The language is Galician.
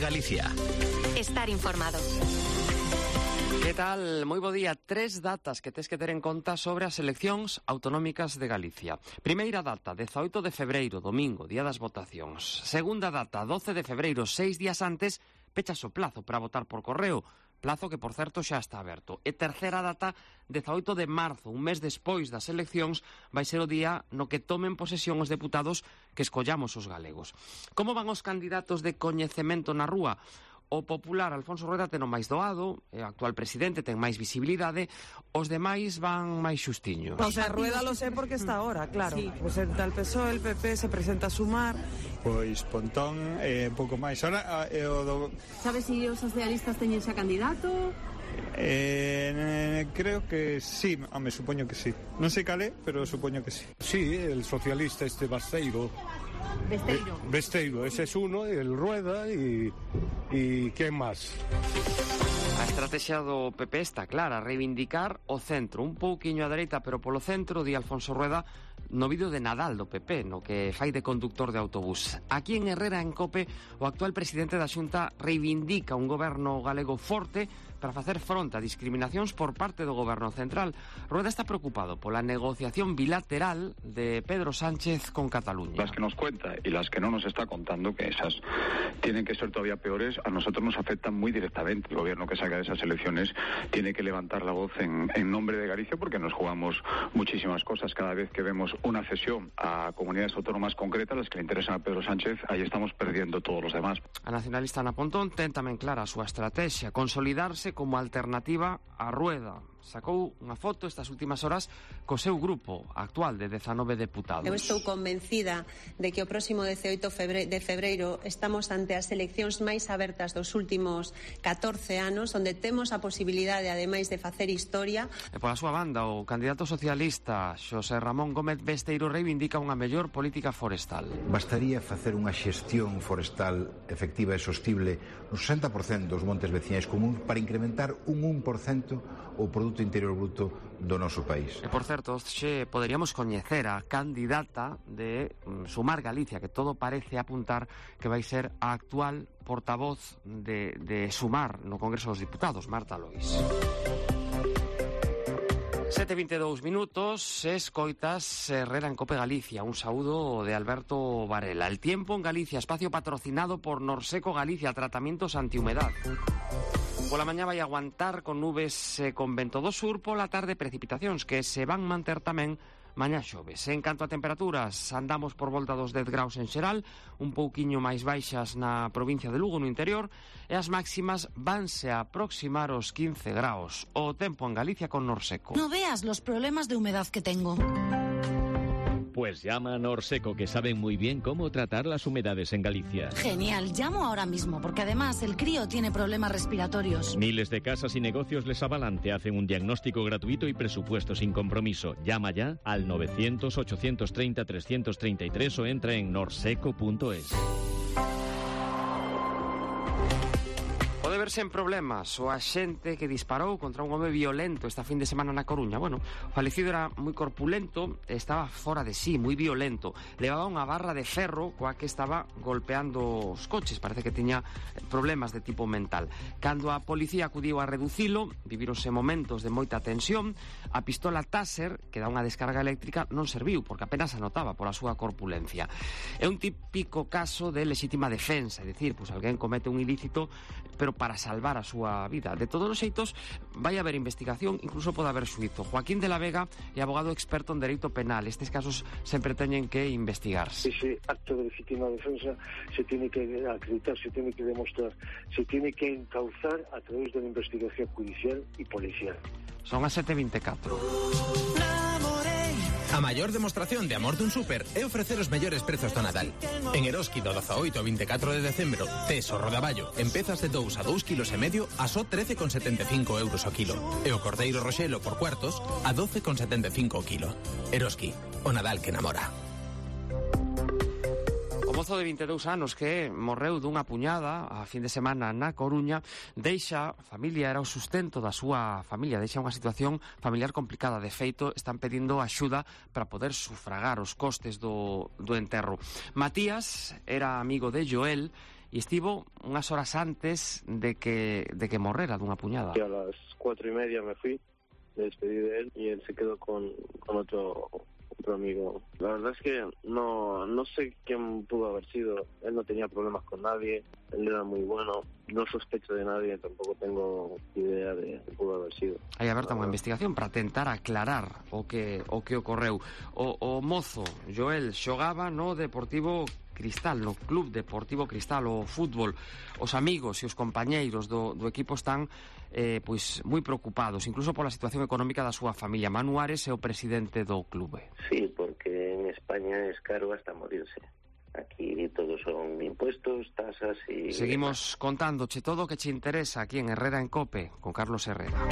Galicia. Estar informado. Que tal? Moi bo día. 3 datas que tes que ter en conta sobre as eleccións autonómicas de Galicia. Primeira data, 18 de febreiro, domingo, día das votacións. Segunda data, 12 de febreiro, 6 días antes, pechas o plazo para votar por correo. Plazo que, por certo, xa está aberto. E terceira data, 18 de marzo, un mes despois das eleccións, vai ser o día no que tomen posesión os deputados que escollamos os galegos. Como van os candidatos de coñecemento na rúa? O popular Alfonso Rueda ten o máis doado, o actual presidente ten máis visibilidade, os demais van máis xustiños. O sea, Rueda lo sé porque está ahora, claro. Sí. Presenta el PSOE, el PP, se presenta a Sumar. Pois Pontón un pouco máis. Ahora, Sabes se os socialistas teñen xa candidato? Creo que sí, me supoño que sí. Non sei cal é, pero supoño que sí. Sí, el socialista Basteiro. Besteiro, ese es uno, el Rueda y ¿quién más? A estrategia do PP está clara, reivindicar o centro, un pouquiño a dereita, pero polo centro, di Alfonso Rueda, no vídeo de Nadal do PP, no que fai de conductor de autobús. Aquí en Herrera, en Cope, o actual presidente da Xunta reivindica un goberno galego forte para facer fronte a discriminacións por parte do goberno central. Rueda está preocupado pola negociación bilateral de Pedro Sánchez con Cataluña. Las que nos cuenta y las que no nos está contando, que esas tienen que ser todavía peores, a nosotros nos afectan muy directamente. El gobierno que salga de esas elecciones tiene que levantar la voz en nombre de Galicia, porque nos jugamos muchísimas cosas. Cada vez que vemos una cesión a comunidades autónomas concretas, las que le interesan a Pedro Sánchez, ahí estamos perdiendo todos los demás. A nacionalista Ana Pontón ten tamén clara a súa estrategia, consolidarse como alternativa a Rueda. Sacou unha foto estas últimas horas co seu grupo actual de 19 deputados. Eu estou convencida de que o próximo 18 de febreiro estamos ante as eleccións máis abertas dos últimos 14 anos, onde temos a posibilidade, ademais de facer historia. E pola súa banda, o candidato socialista Xosé Ramón Gómez Besteiro reivindica unha mellor política forestal. Bastaría facer unha xestión forestal efectiva e sostible no 60% dos montes veciñais comuns para incrementar un 1% o Produto Interior Bruto do noso país. E, por certo, xe poderíamos coñecer a candidata de Sumar Galicia, que todo parece apuntar que vai ser a actual portavoz de Sumar no Congreso dos Diputados, Marta Lois. 7:22 minutos, escoitas Herrera en Cope Galicia. Un saúdo de Alberto Varela. El tiempo en Galicia, espacio patrocinado por Norseco Galicia, tratamientos antihumedad. Pola mañá vai aguantar con nubes con vento do sur, pola tarde precipitacións que se van manter tamén mañá xoves. En canto a temperaturas, andamos por volta dos 10 graus en xeral, un pouquiño máis baixas na provincia de Lugo, no interior, e as máximas vanse a aproximar os 15 graus. O tempo en Galicia con Norseco. No veas los problemas de humedad que tengo. Pues llama a Norseco, que saben muy bien cómo tratar las humedades en Galicia. Genial, llamo ahora mismo, porque además el crío tiene problemas respiratorios. Miles de casas y negocios les avalan, te hacen un diagnóstico gratuito y presupuesto sin compromiso. Llama ya al 900-830-333 o entra en norseco.es. Pode verse en problemas o axente que disparou contra un home violento esta fin de semana na Coruña. Bueno, o falecido era moi corpulento, estaba fora de sí, moi violento. Levaba unha barra de ferro coa que estaba golpeando os coches. Parece que tiña problemas de tipo mental. Cando a policía acudiu a reducilo, vivíronse momentos de moita tensión. A pistola Taser, que dá unha descarga eléctrica, non serviu, porque apenas a notaba pola súa corpulencia. É un típico caso de lexítima defensa, é dicir, pues alguén comete un ilícito, pero para salvar a súa vida. De todos os xeitos, vai haber investigación, incluso pode haber xuízo. Joaquín de la Vega é abogado experto en dereito penal. Estes casos sempre teñen que investigarse. Ese acto de legítima defensa se tiene que acreditar, se tiene que demostrar, se tiene que encauzar a través de la investigación judicial y policial. Son as 7:24. A maior demostración de amor dun súper é ofrecer os mellores prezos do Nadal. En Eroski do 18 ao 24 de decembro, tes o rodaballo en pezas de 2 a 2,5 kg a só 13,75 euros o kilo. E o cordeiro roxelo por cuartos a 12,75 o kilo. Eroski, o Nadal que namora. O mozo de 22 anos que morreu dunha puñada a fin de semana na Coruña deixa, a familia era o sustento da súa familia, deixa unha situación familiar complicada. De feito, están pedindo axuda para poder sufragar os costes do enterro. Matías era amigo de Joel e estivo unhas horas antes de que morrera dunha puñada. Y a las 4:30 me fui, me despedí de él y él se quedó con otro amigo. La verdad es que no sé quién pudo haber sido. Él no tenía problemas con nadie, él era muy bueno, no sospecho de nadie, tampoco tengo idea de quién pudo haber sido. Hai aberta unha investigación para tentar aclarar o que ocorreu. O mozo Joel xogaba no Deportivo Cristal, no Club Deportivo Cristal, o fútbol. Os amigos e os compañeiros do equipo están pois moi preocupados, incluso pola situación económica da súa familia. Manu Ares é o presidente do clube. Sí, porque en España es caro hasta morirse. Aquí todos son impuestos, tasas y... Seguimos contándoche todo o que che interesa aquí en Herrera en Cope, con Carlos Herrera.